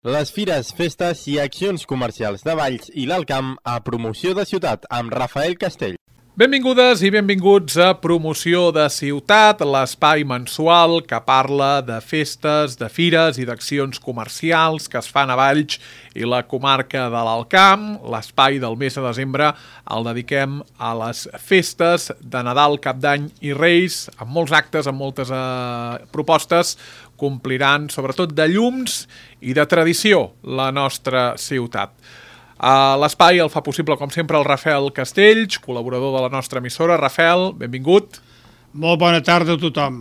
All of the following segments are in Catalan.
Les fires, festes i accions comercials de Valls i l'Alt Camp a Promoció de Ciutat amb Rafael Castell. Benvingudes i benvinguts a Promoció de Ciutat, l'espai mensual que parla de festes, de fires i d'accions comercials que es fan a Valls i la comarca de l'Alt Camp. L'espai del mes de desembre el dediquem a les festes de Nadal, Cap d'Any i Reis, amb molts actes, amb moltes propostes, compliran sobretot de llums i de tradició la nostra ciutat. L'espai el fa possible, com sempre, el Rafael Castells, col·laborador de la nostra emissora. Rafael, benvingut. Molt bona tarda a tothom.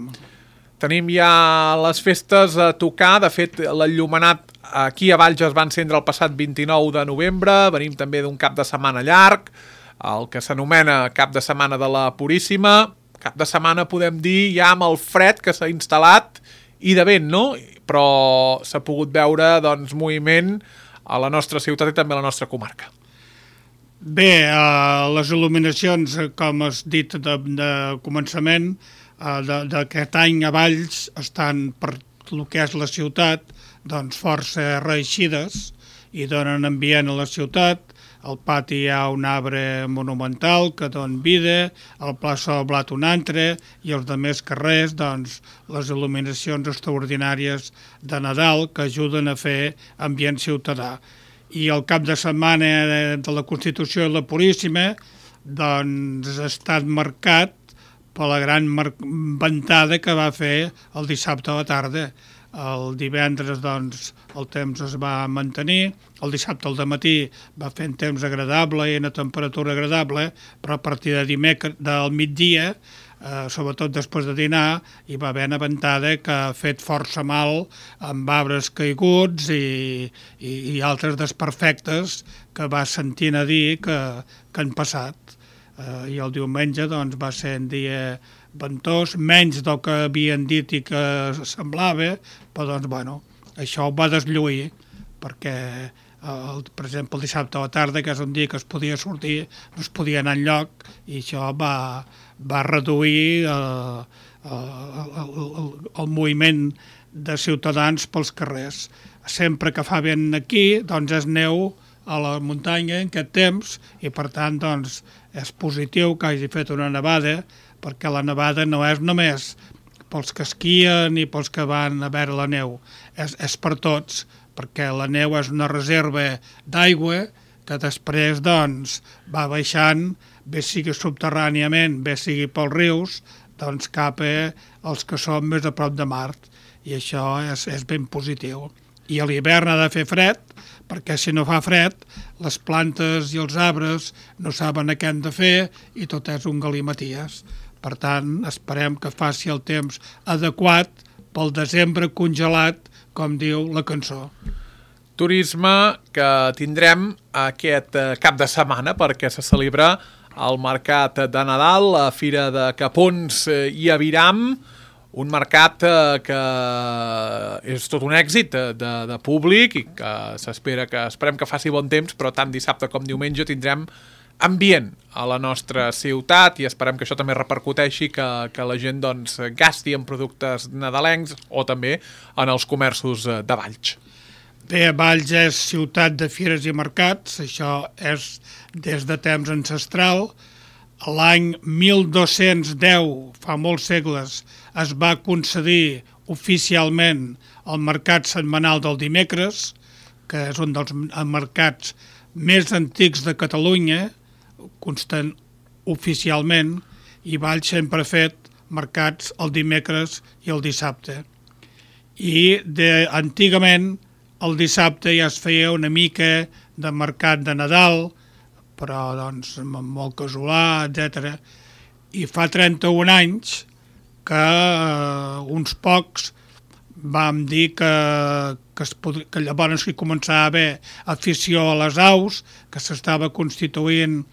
Tenim ja les festes a tocar. De fet, l'enllumenat aquí a Valls es va encendre el passat 29 de novembre. Venim també d'un cap de setmana llarg, el que s'anomena cap de setmana de la Puríssima. Cap de setmana, podem dir, ja amb el fred que s'ha instal·lat i de vent, no? Però s'ha pogut veure, doncs, moviment a la nostra ciutat i també a la nostra comarca. Bé, les il·luminacions, com has dit de començament, d'aquest any a Valls estan, per el que és la ciutat, doncs força reeixides i donen ambient a la ciutat. Al pati hi ha un arbre monumental que dona vida, al plaça del Blat un altre i als altres carrers, doncs, les il·luminacions extraordinàries de Nadal que ajuden a fer ambient ciutadà. I el cap de setmana de la Constitució i la Puríssima, doncs, ha estat marcat per la gran ventada que va fer el dissabte a la tarda. El divendres, doncs, el temps es va mantenir, el dissabte al matí va fer un temps agradable i una temperatura agradable, però a partir del migdia, sobretot després de dinar, hi va haver una ventada que ha fet força mal amb arbres caiguts i altres desperfectes que va sentint a dir que han passat. I el diumenge, doncs, va ser un dia ventós, menys del que havien dit i que semblava, però doncs, bueno, això ho va deslluir, perquè, per exemple, el dissabte a la tarda, que és un dia que es podia sortir, no es podia anar enlloc, i això va reduir el moviment de ciutadans pels carrers. Sempre que fa vent aquí, doncs és neu a la muntanya en aquest temps, i per tant, doncs, és positiu que hagi fet una nevada, perquè la nevada no és només pels que esquien i pels que van a veure la neu, és per tots, perquè la neu és una reserva d'aigua que després, doncs, va baixant, bé sigui subterràniament, bé sigui pels rius, doncs cap als que són més a prop de mar, i això és ben positiu. I a l'hivern ha de fer fred, perquè si no fa fred, les plantes i els arbres no saben què han de fer i tot és un galimaties. Per tant, esperem que faci el temps adequat pel desembre congelat, com diu la cançó. Turisme que tindrem aquest cap de setmana perquè se celebra el Mercat de Nadal, la Fira de Capons i Aviram, un mercat que és tot un èxit de públic i que esperem que faci bon temps, però tant dissabte com diumenge tindrem ambient a la nostra ciutat i esperem que això també repercuteixi que la gent, doncs, gasti en productes nadalencs o també en els comerços de Valls. Bé, Valls és ciutat de fires i mercats, això és des de temps ancestral. L'any 1210, fa molts segles, es va concedir oficialment el mercat setmanal del dimecres, que és un dels mercats més antics de Catalunya, constant oficialment, i Valls sempre ha fet mercats el dimecres i el dissabte. I antigament el dissabte ja es feia una mica de mercat de Nadal, però doncs molt casolà, etc. I fa 31 anys que uns pocs vam dir que llavors hi començava a haver afició a les aus, que s'estava constituint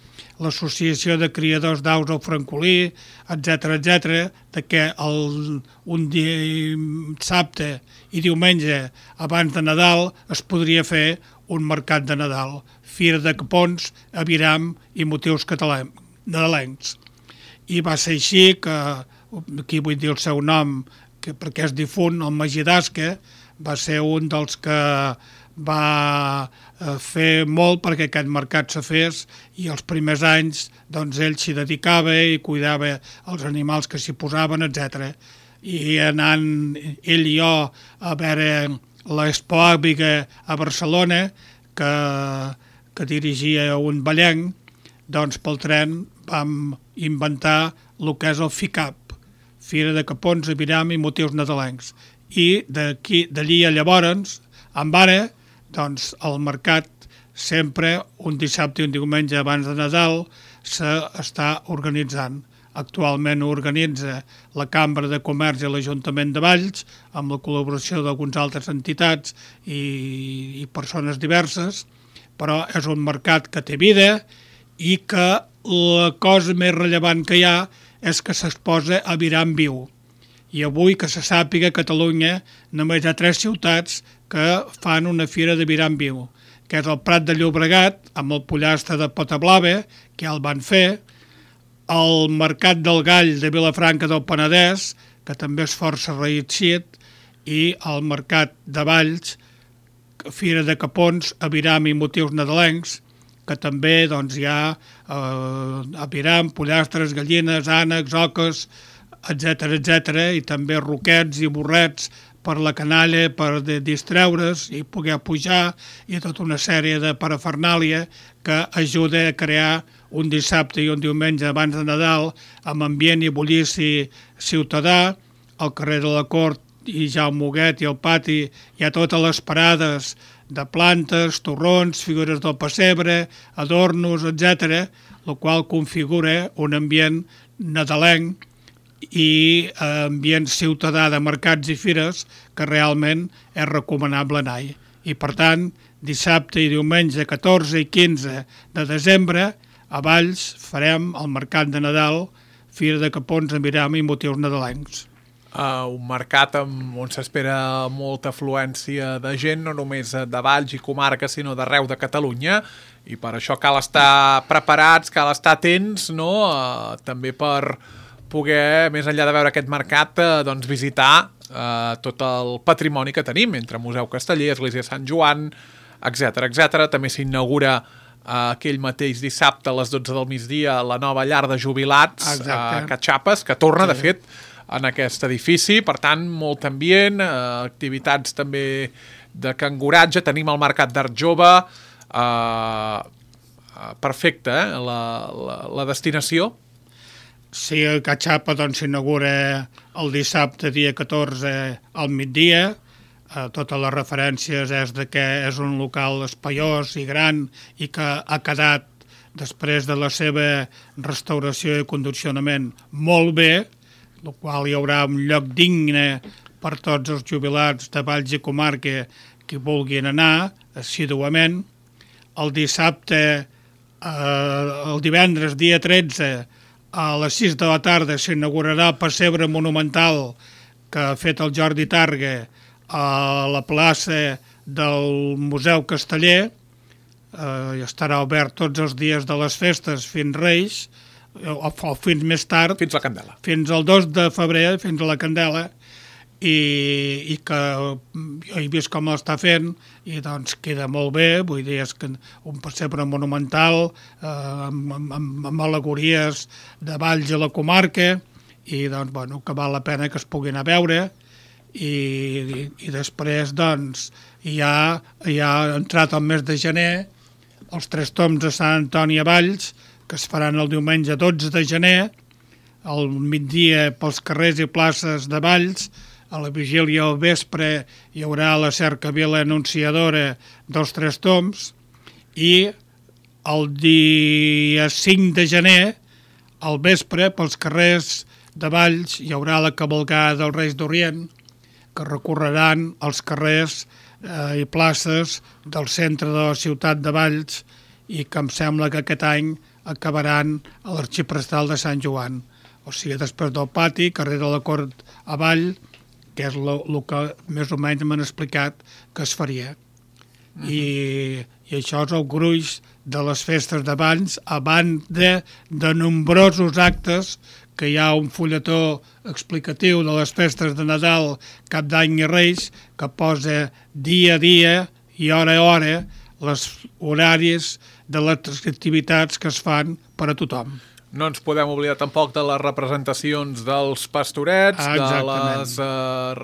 l'associació de criadors d'aus al Francolí, etc., que un dissabte i diumenge abans de Nadal es podria fer un mercat de Nadal, Fira de Capons, Aviram i motius nadalencs. I va ser així que, aquí vull dir el seu nom, perquè és difunt, el Magí d'Asca, va ser un dels que va fer molt perquè aquest mercat se fes, i els primers anys doncs, ell s'hi dedicava i cuidava els animals que s'hi posaven, etc. I anant ell i jo a veure l'Expo Àviga a Barcelona, que dirigia un ballenc, doncs pel tren vam inventar el que és el FICAP, Fira de Capons, Aviram i Motius Nadalencs. I d'allí a llavors, amb ara, doncs el mercat sempre, un dissabte i un diumenge abans de Nadal, s'està organitzant. Actualment ho organitza la Cambra de Comerç i l'Ajuntament de Valls, amb la col·laboració d'algunes altres entitats i persones diverses, però és un mercat que té vida i que la cosa més rellevant que hi ha és que s'exposa Aviram viu. I avui, que se sàpiga, a Catalunya només hi ha 3 ciutats que fan una fira d'Aviram viu, que és el Prat de Llobregat, amb el pollastre de Potablava, que ja el van fer, el Mercat del Gall de Vilafranca del Penedès, que també és força reeixit, i el Mercat de Valls, Fira de Capons, Aviram i Motius Nadalencs, que també doncs, hi ha aviram, pollastres, gallines, ànecs, oques, etc., i també roquets i burrets per la canalla, per distreure's i poder pujar, i tota una sèrie de parafernàlia que ajuda a crear un dissabte i un diumenge abans de Nadal amb ambient i bullici ciutadà. Al carrer de la Cort i Jaume Huguet i al pati hi ha totes les parades de plantes, torrons, figures del pessebre, adornos, etc., el qual configura un ambient nadalenc i ambient ciutadà de mercats i fires que realment és recomanable anar-hi. I per tant, dissabte i diumenge 14 i 15 de desembre a Valls farem el mercat de Nadal, Fira de Capons, Aviram i Motius Nadalencs. Un mercat on s'espera molta afluència de gent, no només de Valls i comarca, sinó d'arreu de Catalunya, i per això cal estar preparats, cal estar atents, no? També per poder, més enllà de veure aquest mercat, doncs visitar tot el patrimoni que tenim, entre Museu Casteller, Església de Sant Joan, etc. També s'inaugura aquell mateix dissabte a les 12 del migdia la nova llar de jubilats a Catxapes, que torna, de fet, en aquest edifici. Per tant, molt ambient, activitats també de canguratge, tenim el Mercat d'Art Jove, perfecte, la destinació. Sí, a Catxapa s'inaugura el dissabte, dia 14, al migdia. Totes les referències és de que és un local espaiós i gran i que ha quedat, després de la seva restauració i condicionament, molt bé, el qual hi haurà un lloc digne per tots els jubilats de Valls i comarca que vulguin anar assíduament. El dissabte, el divendres, dia 13, a les 6 de la tarda s'inaugurarà el pessebre monumental que ha fet el Jordi Targa a la plaça del Museu Casteller. Estarà obert tots els dies de les festes fins Reis, o fins més tard, fins la Candela, fins al 2 de febrer, fins a la Candela, i que jo he vist com l'està fent i doncs queda molt bé. Vull dir, és que un pessebre monumental amb al·legories de Valls i la comarca, i doncs, bueno, que val la pena que es puguin anar a veure. I després, doncs, ja ha entrat el mes de gener els 3 toms de Sant Antoni a Valls, que es faran el diumenge 12 de gener, al migdia pels carrers i places de Valls. A la vigília al vespre hi haurà la cercavila anunciadora dels 3 toms, i el dia 5 de gener, al vespre, pels carrers de Valls, hi haurà la cavalcada dels Reis d'Orient, que recorreran els carrers i places del centre de la ciutat de Valls, i que em sembla que aquest any acabaran a l'Arxiprestal de Sant Joan. O sigui, després del pati, carrer de la Cort a Vall, que és el que més o menys m'han explicat que es faria. I això és el gruix de les festes de Valls, a banda de nombrosos actes, que hi ha un fulletó explicatiu de les festes de Nadal, Cap d'Any i Reis, que posa dia a dia i hora a hora les horaris de les activitats que es fan per a tothom. No ens podem oblidar tampoc de les representacions dels pastorets, de les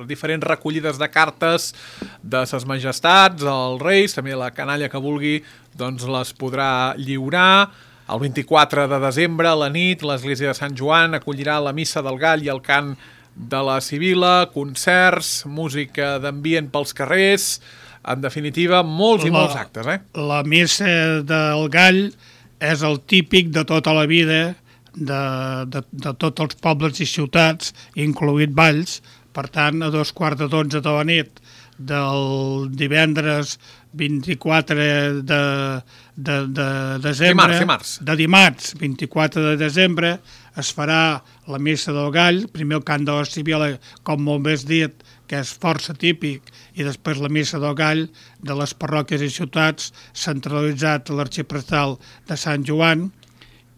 diferents recollides de cartes de ses majestats, els reis, també la canalla que vulgui doncs les podrà lliurar. El 24 de desembre, a la nit, l'església de Sant Joan acollirà la missa del gall i el cant de la Sibila, concerts, música d'ambient pels carrers, en definitiva, molts i molts actes. La missa del gall és el típic de tota la vida de tots els pobles i ciutats, incloït Valls. Per tant, a 11:15 de la nit del divendres 24 de desembre, dimarts 24 de desembre, es farà la missa del gall, primer el cant de la Sibila, com molt més dit, que és força típic, i després la missa del gall de les parròquies i ciutats, centralitzat a l'arxiprestal de Sant Joan,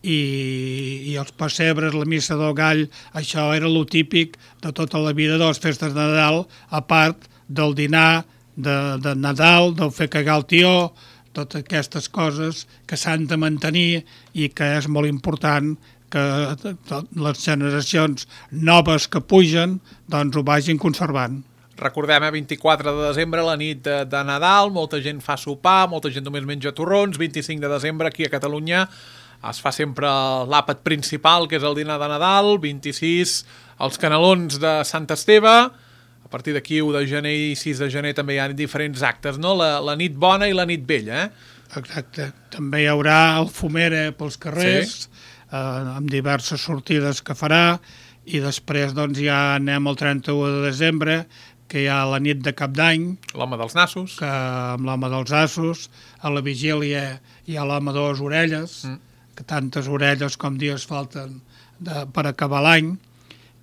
i els pessebres, la missa del gall, això era lo típic de tota la vida de les festes de Nadal, a part del dinar de Nadal, del fer cagar el tió, totes aquestes coses que s'han de mantenir i que és molt important que les generacions noves que pugen doncs ho vagin conservant. Recordem, 24 de desembre, la nit de Nadal, molta gent fa sopar, molta gent només menja torrons. 25 de desembre, aquí a Catalunya, es fa sempre l'àpat principal, que és el dinar de Nadal. 26, els canelons de Sant Esteve. A partir d'aquí, 1 de gener i 6 de gener també hi ha diferents actes, no? La nit bona i la nit vella, Exacte. També hi haurà el fumera pels carrers, amb diverses sortides que farà, i després doncs ja anem al 31 de desembre, que hi ha la nit de Cap d'Any. L'home dels nassos. Que amb l'home dels assos, a la vigília hi ha l'home de les orelles, que tantes orelles com dies falten per acabar l'any,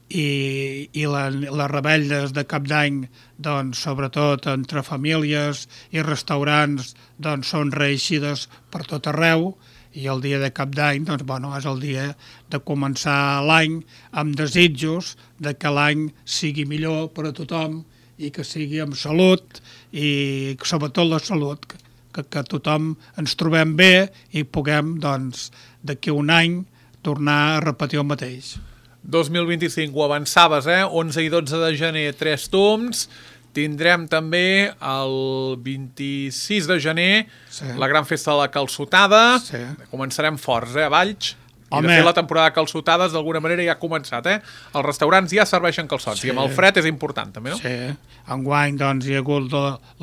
i les rebelles de Cap d'Any, doncs, sobretot entre famílies i restaurants, doncs, són reeixides per tot arreu, i el dia de Cap d'Any doncs, bueno, és el dia de començar l'any amb desitjos de que l'any sigui millor per a tothom i que sigui amb salut i sobretot la salut, que tothom ens trobem bé i puguem doncs, d'aquí un any tornar a repetir el mateix. 2025, ho avançaves, 11 i 12 de gener, 3 toms. Tindrem també el 26 de gener la gran festa de la calçotada. Començarem forts, a Valls. I de fet la temporada de calçotades d'alguna manera ja ha començat, Els restaurants ja serveixen calçots i amb el fred és important també, no? Sí, enguany doncs hi ha hagut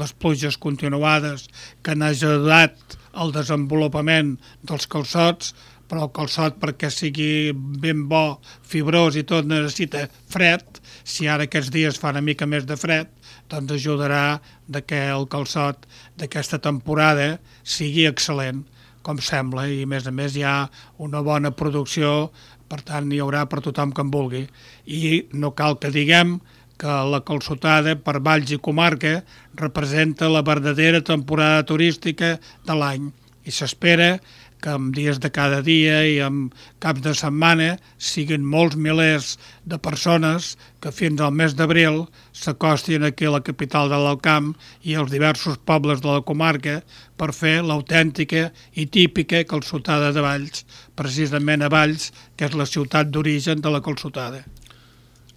les pluges continuades que han ajudat al desenvolupament dels calçots, però el calçot perquè sigui ben bo, fibrós i tot necessita fred. Si ara aquests dies fa una mica més de fred, doncs ajudarà que el calçot d'aquesta temporada sigui excel·lent, com sembla, i a més hi ha una bona producció, per tant hi haurà per tothom que en vulgui. I no cal que diguem que la calçotada per Valls i comarca representa la verdadera temporada turística de l'any, i s'espera que en dies de cada dia i en caps de setmana siguin molts milers de persones que fins al mes d'abril s'acostin aquí a la capital de l'Alt Camp i als diversos pobles de la comarca per fer l'autèntica i típica calçotada de Valls, precisament a Valls, que és la ciutat d'origen de la calçotada.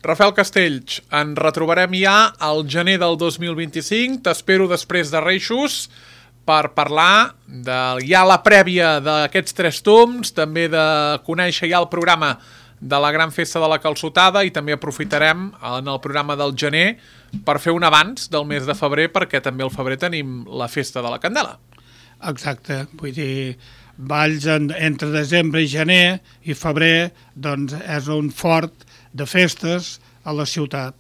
Rafael Castells, ens retrobarem ja al gener del 2025, t'espero després de Reixos, per parlar de ja la prèvia d'aquests 3 toms, també de conèixer ja el programa de la gran festa de la calçotada, i també aprofitarem en el programa del gener per fer un avanç del mes de febrer, perquè també al febrer tenim la festa de la Candela. Exacte, vull dir, Valls entre desembre i gener i febrer doncs és un fort de festes a la ciutat,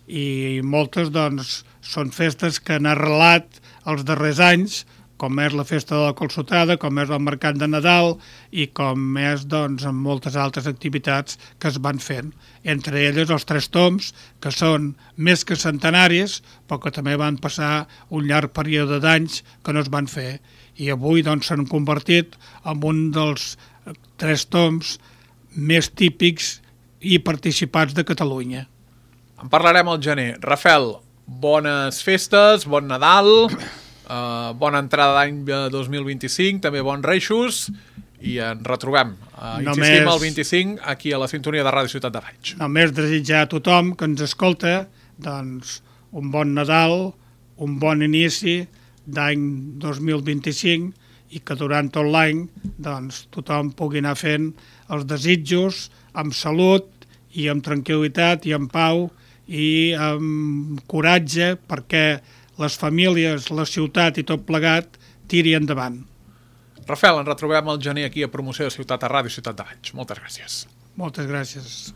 i moltes doncs són festes que han arrelat els darrers anys, com és la festa de la calçotada, com és el mercat de Nadal i com és doncs, en moltes altres activitats que es van fent. Entre elles els 3 toms, que són més que centenaris, però que també van passar un llarg període d'anys que no es van fer. I avui doncs, s'han convertit en un dels 3 toms més típics i participats de Catalunya. En parlarem al gener. Rafael, bones festes, bon Nadal, Bona entrada d'any 2025, també bons reixos, i ens retrobem. Insistim el 25 aquí a la sintonia de Ràdio Ciutat de Valls. Només desitjar a tothom que ens escolta doncs, un bon Nadal, un bon inici d'any 2025 i que durant tot l'any doncs, tothom pugui anar fent els desitjos amb salut i amb tranquil·litat i amb pau i amb coratge perquè les famílies, la ciutat i tot plegat tiri endavant. Rafael, ens retrobem al gener aquí a Promoció de Ciutat a Ràdio Ciutat de Valls. Moltes gràcies. Moltes gràcies.